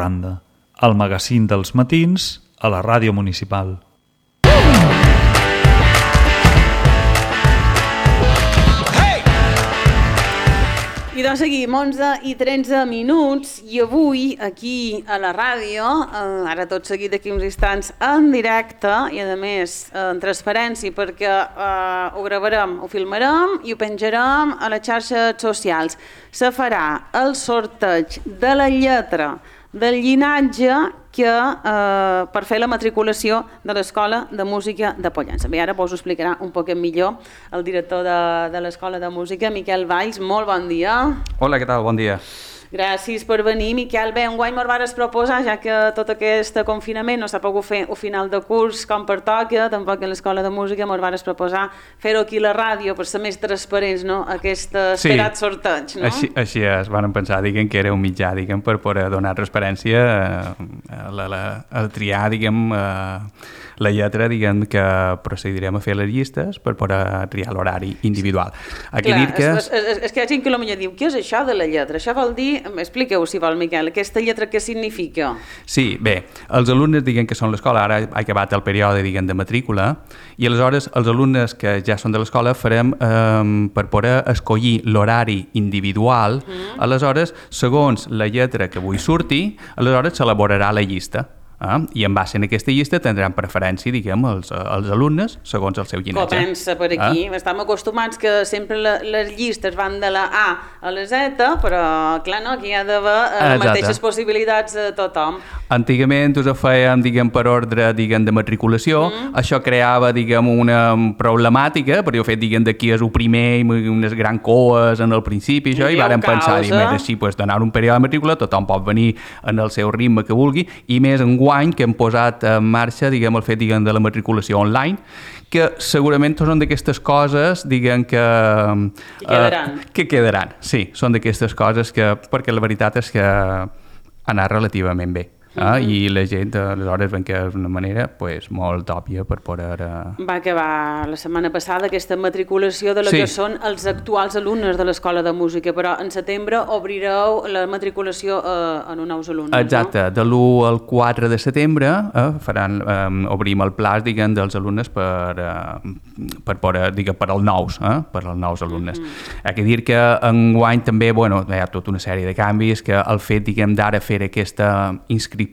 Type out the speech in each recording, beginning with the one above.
Randa, el magazín dels matins a la ràdio municipal. I doncs seguim, 11:13 i avui aquí a la ràdio, ara tot seguit d'aquí uns instants en directe i a més en transparència perquè ho gravarem, ho filmarem i ho penjarem a les xarxes socials. Se farà el sorteig de la lletra del llinatge que per fer la matriculació de l'Escola de Música de Pollença. Bé, ara vos ho explicarà un poc millor el director de l'Escola de Música, Miquel Valls. Molt bon dia. Hola, què tal? Bon dia. Gràcies per venir, Miquel. Bé, enguany mos vares proposar, ja que tot aquest confinament no s'ha pogut fer al final de curs com pertoca, tampoc a l'Escola de Música mos vares proposar fer-ho aquí a la ràdio per ser més transparents, no? Aquest esperat sorteig, no? Així es van pensar, diguem, que era un mitjà, diguem, per poder donar transparència a triar, diguem, la lletra, diguem, que procedirem a fer les llistes per poder triar l'horari individual. Clar, és que hi ha gent que potser diu, què és això de la lletra? Això vol dir, expliqueu si vol, Miquel, aquesta lletra què significa? Sí, bé, els alumnes, diguem, que són l'escola, ara ha acabat el període, diguem, de matrícula, i aleshores els alumnes que ja són de l'escola farem per poder escollir l'horari individual, aleshores, segons la lletra que avui surti, aleshores s'elaborarà la llista. I en base a aquesta llista tindran preferència, diguem, els alumnes segons el seu llinatge. Comença per aquí. Estem acostumats que sempre les llistes van de la A a la Z, però clar, no, aquí hi ha d'haver les mateixes possibilitats a tothom. Antigament us ho fèiem, diguem, per ordre, diguem, de matriculació. Això creava, diguem, una problemàtica, perquè el fet, diguem, d'aquí és el primer, unes grans coes en el principi, això, i vàrem pensar, diguem, així, donar un període de matrícula, tothom pot venir en el seu ritme que vulgui, i més enguany que hem posat en marxa, diguem, el fet, diguem, de la matriculació online, que segurament són d'aquestes coses, diguem, que quedaran. Sí, són d'aquestes coses que, perquè la veritat és que ha anat relativament bé. I la gent, aleshores, ven que és una manera molt òbvia per poder... Va acabar la setmana passada aquesta matriculació de la que són els actuals alumnes de l'Escola de Música, però en setembre obrireu la matriculació en uns nous alumnes, exacte, no? De l'1 al 4 de setembre obrim el plaç, diguem, dels alumnes per poder, diguem, per als nous alumnes. Hi ha que dir que enguany també, hi ha tota una sèrie de canvis, que el fet, diguem, d'ara fer aquesta inscripció,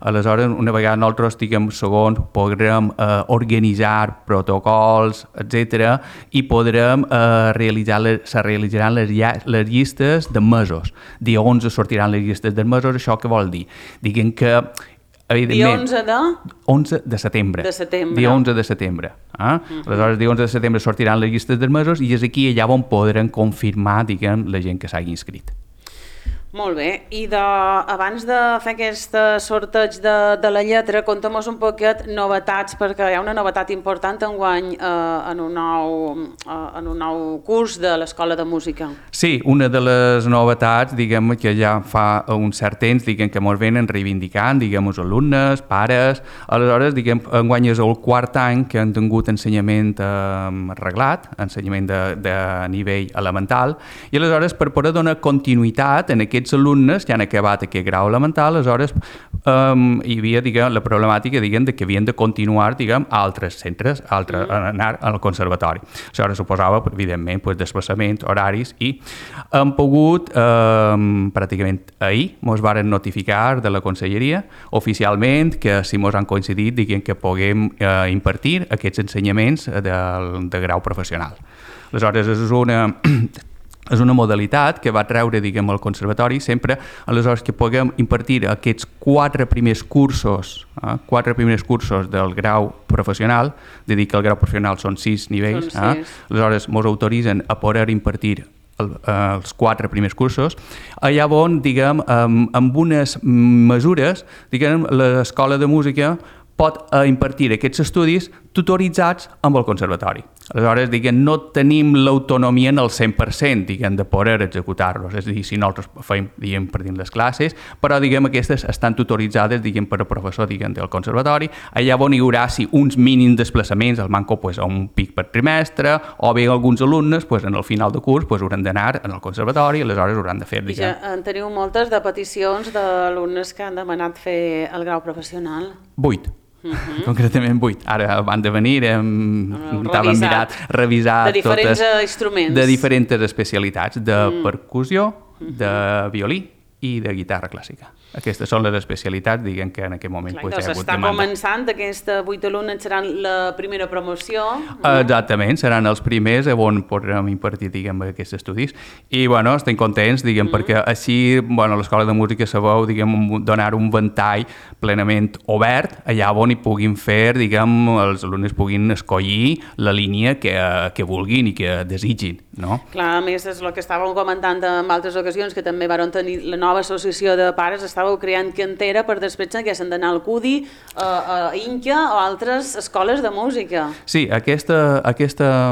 aleshores una vegada nosaltres, diguem, segons podrem organitzar protocols, etc., i podrem se realitzaran les llistes de mesos. Dia 11 sortiran les llistes de mesos. Això què vol dir? Diguem que dia 11 de setembre. Dia 11 de setembre. Aleshores, dia 11 de setembre sortiran les llistes dels mesos i és aquí allà on podran confirmar, diguem, la gent que s'hagi inscrit. Molt bé, i abans de fer aquest sorteig de la lletra, contem-nos un poquet novetats, perquè hi ha una novetat important enguany en un nou curs de l'Escola de Música. Sí, una de les novetats, diguem, que ja fa un cert temps, diguem, que ens venen reivindicant, diguem, els alumnes, pares, aleshores, diguem, enguany és el quart any que han tingut ensenyament reglat, ensenyament de nivell elemental, i aleshores, per poder donar continuïtat en aquests alumnes que han acabat aquest grau elemental, aleshores hi havia, diguem, la problemàtica, diguem, de que havien de continuar, diguem, a altres centres, anar al conservatori. Això suposava, evidentment, desplaçaments, horaris, i hem pogut, pràcticament ahir, ens varen notificar de la Conselleria, oficialment, que si ens han coincidit, diguem, que puguem impartir aquests ensenyaments de grau professional. Aleshores, és una modalitat que va treure, diguem, el conservatori sempre, aleshores, que puguem impartir aquests quatre primers cursos del grau professional, de dir que el grau professional són 6 nivells, aleshores ens autoritzen a poder impartir els 4 primers cursos, allà on, diguem, amb unes mesures, diguem, l'Escola de Música pot impartir aquests estudis tutoritzats amb el conservatori. Aleshores, no tenim l'autonomia en el 100%, de poder executar-los. És a dir, si nosaltres feim, per dins les classes, però, aquestes estan tutoritzades, per a professor, del conservatori. Allà on hi haurà, uns mínims desplaçaments, el manco, a un pic per trimestre, o bé alguns alumnes, en el final de curs, hauran d'anar al conservatori, i aleshores hauran de fer, Ja en teniu moltes de peticions d'alumnes que han demanat fer el grau professional? 8. Concretament 8. Ara van de venir, estàvem revisat de diferents instruments. De diferents especialitats, de percussió, de violí i de guitarra clàssica. Aquestes són les especialitats, que en aquest moment hi ha hagut demanda. Està començant, aquests 8 alumnes seran la primera promoció. Exactament, seran els primers on podrem impartir, aquests estudis. I, estem contents, perquè així, l'Escola de Música sabeu, donar un ventall plenament obert, allà on hi puguin fer, els alumnes puguin escollir la línia que vulguin i que desitgin, no? Clar, a més, és el que estàvem comentant en altres ocasions, que també van tenir la nova associació de pares, estàveu creant Cantera per després que s'han d'anar al CUDI, a Inca o altres escoles de música. Sí, aquesta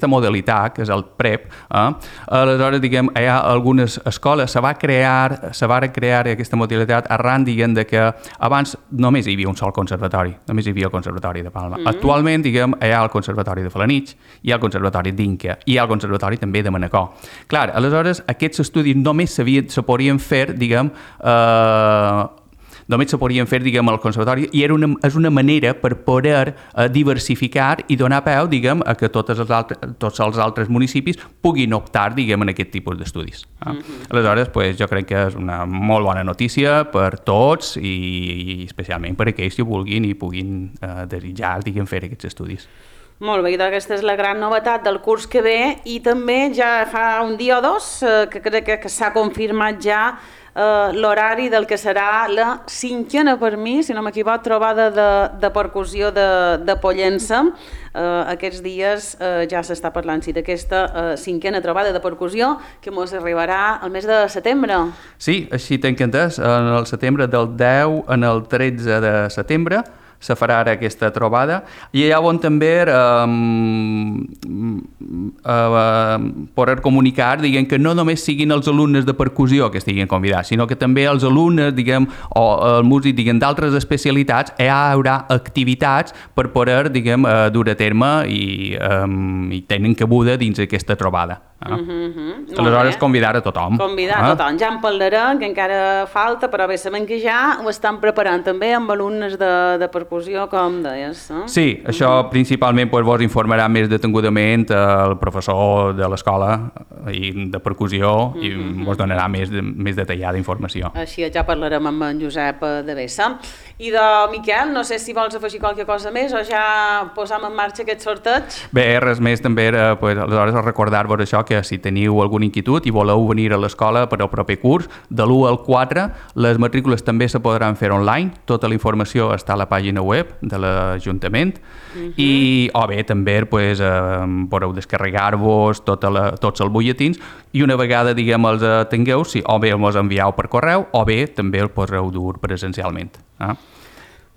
modalitat, que és el PREP, aleshores, hi ha algunes escoles, se va crear aquesta modalitat arran, de que abans només hi havia un sol conservatori, només hi havia el Conservatori de Palma. Actualment, hi ha el Conservatori de Felanitx, hi ha el Conservatori d'Inca, i hi ha el Conservatori també de Manacor. Clar, aleshores, aquests estudis només se podien fer, només se podien fer, al conservatori, i és una manera per poder diversificar i donar peu, a que tots els altres municipis puguin optar, en aquest tipus d'estudis. Aleshores, jo crec que és una molt bona notícia per tots i especialment per aquells que vulguin i puguin desitjar, fer aquests estudis. Molt bé, i aquesta és la gran novetat del curs que ve, i també ja fa un dia o dos que crec que s'ha confirmat ja l'horari del que serà la 5a, per mi, si no m'equivoco, trobada de percussió de Pollença. Aquests dies ja s'està parlant d'aquesta 5a trobada de percussió que ens arribarà al mes de setembre. Sí, així tenc entès, en el setembre del 10 en el 13 de setembre se farà ara aquesta trobada, i allà on també poder comunicar, que no només siguin els alumnes de percussió que estiguin convidats, sinó que també els alumnes, o el músic, d'altres especialitats, hi haurà activitats per poder, dur a terme i tenen cabuda dins aquesta trobada. Aleshores, convidar a tothom. Convidar a tothom. Ja en parlarem, que encara falta, però bé, sabem que ja ho estan preparant també amb alumnes de percussió, com deies. Sí, això principalment vos informarà més detengudament el professor de l'escola de percussió i vos donarà més detallada informació. Així ja parlarem amb en Josep de Bessa. I de Miquel, no sé si vols afegir qualque cosa més o ja posam en marxa aquest sorteig? Bé, res més també, aleshores recordar-vos això, que si teniu alguna inquietud i voleu venir a l'escola per al proper curs, de l'1 al 4, les matrícules també se podran fer online, tota la informació està a la pàgina web de l'Ajuntament, o bé també podeu descarregar-vos tots els butlletins i una vegada, els tingueu, o bé els envieu per correu o bé també els podreu dur presencialment.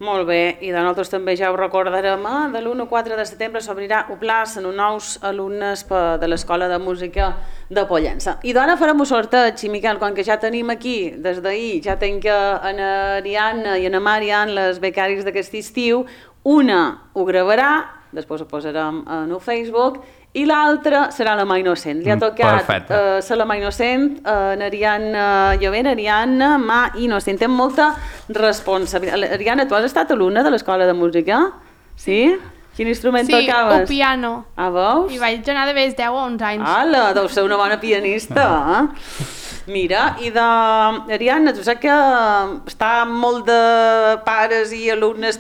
Molt bé, i de nosaltres també ja ho recordarem, de l'1 al 4 de setembre s'obrirà un plaç en nous alumnes de l'Escola de Música de Pollença. I d'ara farem un sorteig, i Miquel, quan que ja tenim aquí, des d'ahir, ja tenc en Ariadna i en Marian, les becaris d'aquest estiu, una ho gravarà, després ho posarem en el Facebook, i l'altra serà la mà innocent. Li ha tocat ser la mà innocent, en Ariadna Llovent, Ariadna, mà innocent. Té molta responsabilitat. Ariadna, tu has estat alumna de l'Escola de Música? Sí? Quin instrument tocaves? Sí, el piano. Ah, veus? I vaig anar de més 10 o 11 anys. Ala, deu ser una bona pianista. Mira, i Ariadna, tu saps que està molt de pares i alumnes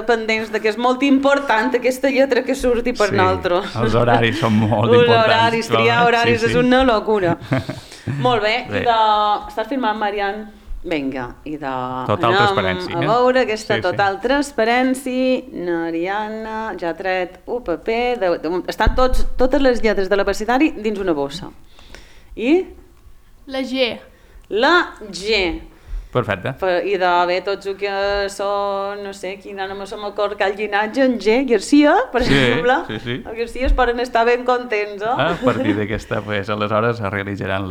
pendents de que és molt important aquesta lletra que surti per nosaltres. Sí, els horaris són molt importants. Triar horaris és una locura. Molt bé, estàs filmant, Marian? Vinga, Total transparència. A veure aquesta total transparència. Ariadna, ja ha tret un paper. Estan totes les lletres de l'abecedari dins una bossa. I? La G. La G. Perfecte. I de bé, tots els que són, no sé, quin ara no se m'acord, que el llinatge en G, Garcia, per exemple, sí. els Garcies poden estar ben contents, A partir d'aquesta, pues, aleshores es realitzaran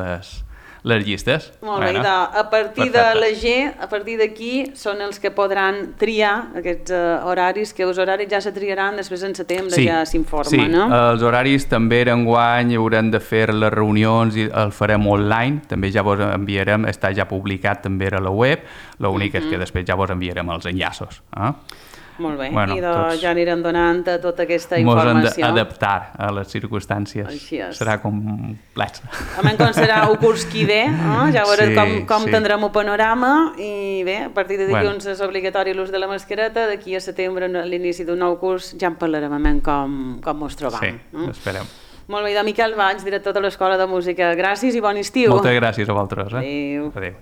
les llistes. Molt bé, a partir de la G, a partir d'aquí, són els que podran triar aquests horaris, que els horaris ja se triaran, després en setembre ja s'informa, no? Sí, els horaris també enguany haurem de fer les reunions i el farem online, també ja vos enviarem, està ja publicat també a la web, l'únic és que després ja vos enviarem els enllaços. Molt bé, i ja anirem donant tota aquesta informació. Mos hem d'adaptar a les circumstàncies. Així és. Serà complex. A menys com serà el curs que ve, ja veurem com tindrem el panorama i bé, a partir de dilluns és obligatori l'ús de la mascareta, d'aquí a setembre, a l'inici d'un nou curs, ja en parlarem com ens trobam. Sí, esperem. Molt bé, de Miquel Valls, director de l'Escola de Música. Gràcies i bon estiu. Moltes gràcies a vosaltres. Adéu. Adéu.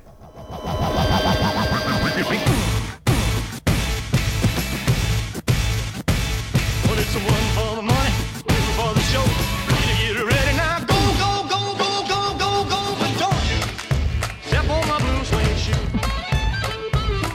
Someone